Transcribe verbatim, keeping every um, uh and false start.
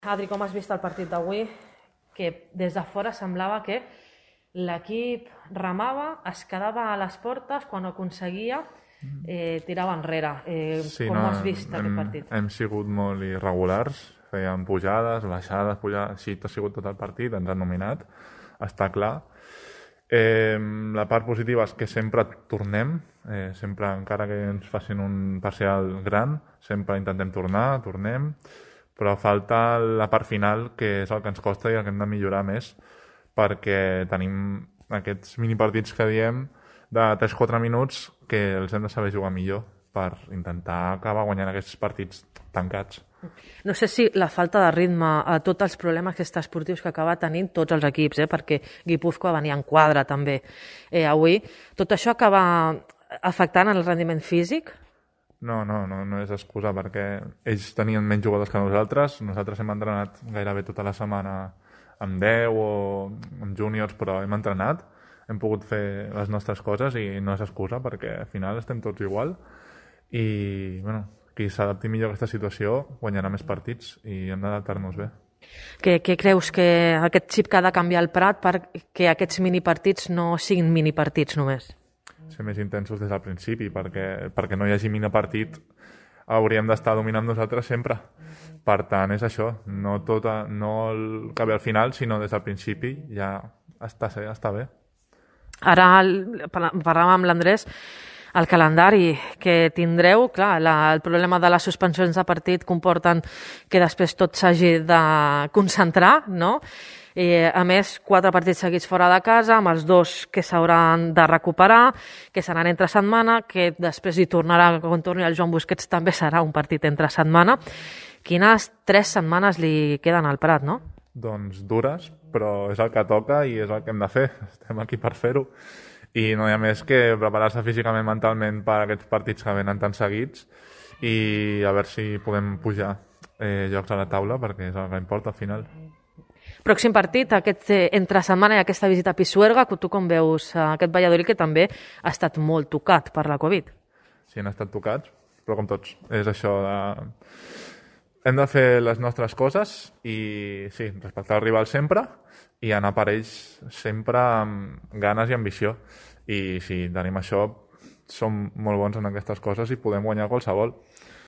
Adri, com has vist el partit d'avui? Que des de fora semblava que l'equip remava, es quedava a les portes, quan ho aconseguia eh, tirava enrere. Eh, Sí, com no, has vist hem, aquest partit? hem sigut molt irregulars, fèiem pujades, baixades, pujades, així ha sigut tot el partit, ens han nominat, està clar. Eh, la part positiva és que sempre tornem, eh, sempre, encara que ens facin un parcial gran, sempre intentem tornar, tornem, però falta la part final, que és el que ens costa i el que hem de millorar més, perquè tenim aquests minipartits que diem de tres quatre minuts que els hem de saber jugar millor per intentar acabar guanyant aquests partits tancats. No sé si la falta de ritme, a tots els problemes esportius que acaba tenint tots els equips, eh? Perquè Guipúscoa venia en quadre també eh, avui, tot això acaba afectant el rendiment físic? No, no, no, no és excusa, perquè ells tenien menys jugadors que nosaltres, nosaltres hem entrenat gairebé tota la setmana amb deu o amb júniors, però hem entrenat, hem pogut fer les nostres coses i no és excusa, perquè al final estem tots igual i, bueno, qui s'adapti millor a aquesta situació guanyarà més partits i hem d'adaptar-nos bé. Què, què creus que aquest xip que ha de canviar el Prat perquè aquests minipartits no siguin minipartits només? Ser més intensos des del principi, perquè, perquè no hi hagi minipartit hauríem d'estar dominant nosaltres sempre. Per tant, és això, no, tot a, no el que ve al final, sinó des del principi ja està, està bé. Ara parlàvem amb l'Andrés, el calendari que tindreu, clar, la, el problema de les suspensions de partit comporten que després tot s'hagi de concentrar, no? I, a més, quatre partits seguits fora de casa, amb els dos que s'hauran de recuperar, que seran entre setmana, que després hi tornarà, quan torni el Joan Busquets també serà un partit entre setmana. Quines tres setmanes li queden al Prat, no? Doncs dures, però és el que toca i és el que hem de fer. Estem aquí per fer-ho. I no hi ha més que preparar-se físicament, mentalment per aquests partits que venen tan seguits i a veure si podem pujar eh, jocs a la taula, perquè és el que importa al final. Pròxim partit, aquest eh, entre setmana i aquesta visita a Pisuerga, tu com veus eh, aquest Valladolid que també ha estat molt tocat per la Covid? Sí, han estat tocats, però com tots. És això de... Hem de fer les nostres coses i, sí, respectar el rival sempre i anar per ells sempre amb ganes i ambició. I si tenim això, som molt bons en aquestes coses i podem guanyar qualsevol.